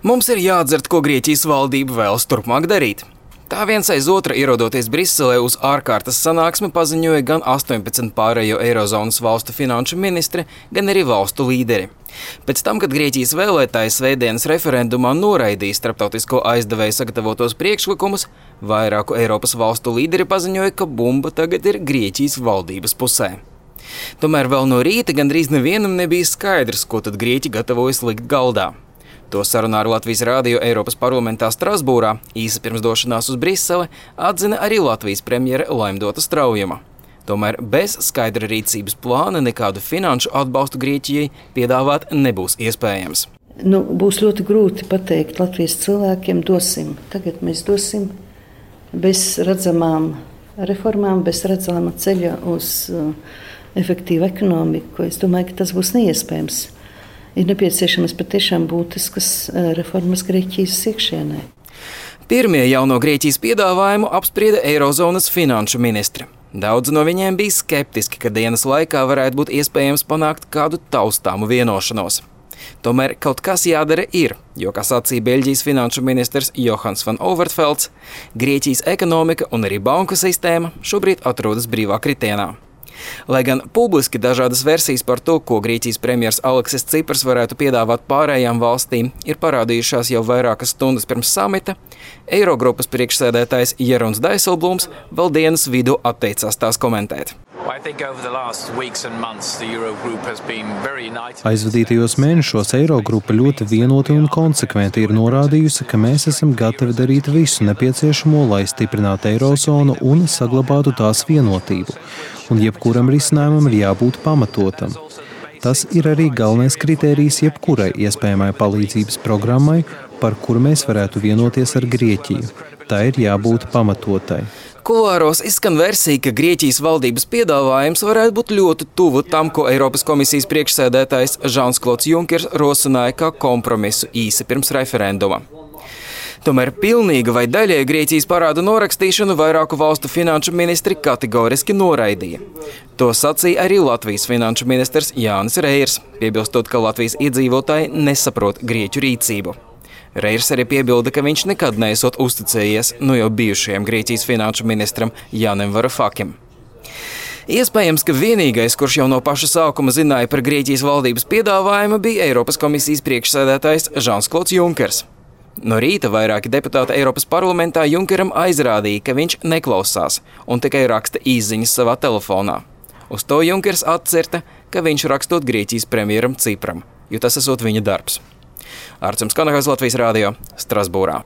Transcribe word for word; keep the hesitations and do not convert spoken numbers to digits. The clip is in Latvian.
Mums ir jāatdzird, ko Grieķijas valdība vēlas turpmāk darīt. Tā viens aiz otra ierodoties Briselē uz ārkārtas sanāksmi paziņoja gan astoņpadsmit pārējo Eirozonas valstu finanšu ministri, gan arī valstu līderi. Pēc tam, kad Grieķijas vēlētāji svētdienas referendumā noraidīja starptautisko aizdevēju sagatavotos priekšlikumus, vairāku Eiropas valstu līderi paziņoja, ka bumba tagad ir Grieķijas valdības pusē. Tomēr vēl no rīta gandrīz nevienam nebija skaidrs, ko tad Grieķi gatavojas likt galdā. To sarunā ar Latvijas rādio Eiropas parlamentā Strasbūrā, īsi pirms došanās uz Briseli, atzina arī Latvijas premjere Laimdota Straujuma. Tomēr bez skaidra rīcības plāna nekādu finanšu atbalstu Grieķijai piedāvāt nebūs iespējams. Nu, būs ļoti grūti pateikt Latvijas cilvēkiem, dosim. Tagad mēs dosim bez redzamām reformām, bez redzamā ceļa uz uh, efektīvu ekonomiku. Es domāju, ka tas būs neiespējams. Ir nepieciešamas patiešām būtiskas reformas Grieķijas iekšienē. Pirmie jauno Grieķijas piedāvājumu apsprieda Eirozonas finanšu ministri. Daudzi no viņiem bija skeptiski, ka dienas laikā varētu būt iespējams panākt kādu taustāmu vienošanos. Tomēr kaut kas jādara ir, jo, kā sacīja Beļģijas finanšu ministrs Johans van Overtvelds, Grieķijas ekonomika un arī banku sistēma šobrīd atrodas brīvā kritienā. Lai gan publiski dažādas versijas par to, ko Grieķijas premjers Aleksis Cipras varētu piedāvāt pārējām valstīm, ir parādījušās jau vairākas stundas pirms samita, Eirogrupas priekšsēdētājs Jeroens Dijsselbloems vēl dienas vidū atteicās tās komentēt. Aizvadītajos mēnešos Eirogrupa ļoti vienoti un konsekventi ir norādījusi, ka mēs esam gatavi darīt visu nepieciešamo, lai stiprinātu Eirozonu un saglabātu tās vienotību. Un jebkuram risinājumam ir jābūt pamatotam. Tas ir arī galvenais kritērijs jebkurai iespējamai palīdzības programmai, par kuru mēs varētu vienoties ar Grieķiju. Tā ir jābūt pamatotai. Kulāros izskan versija, ka Grieķijas valdības piedāvājums varētu būt ļoti tuvu tam, ko Eiropas komisijas priekšsēdētājs Žans-Klods Junkers rosināja kā kompromisu īsi pirms referenduma. Tomēr pilnīga vai daļēja Grieķijas parādu norakstīšanu vairāku valstu finanšu ministri kategoriski noraidīja. To sacīja arī Latvijas finanšu ministrs Jānis Reirs, piebilstot, ka Latvijas iedzīvotāji nesaprot grieķu rīcību. Reirs arī piebilda, ka viņš nekad neesot uzticējies nu jau bijušajam Grieķijas finanšu ministram Jānim Varoufakim. Iespējams, ka vienīgais, kurš jau no paša sākuma zināja par Grieķijas valdības piedāvājumu, bija Eiropas komisijas priekšsēdētājs Žans-Klods Junkers. No rīta vairāki deputāti Eiropas parlamentā Junkeram aizrādīja, ka viņš neklausās un tikai raksta īsziņas savā telefonā. Uz to Junkers atcerta, ka viņš rakstot Grieķijas premjeram Cipram, jo tas esot viņa darbs. Arcums Kanahas, Latvijas rādio, Strasbūrā.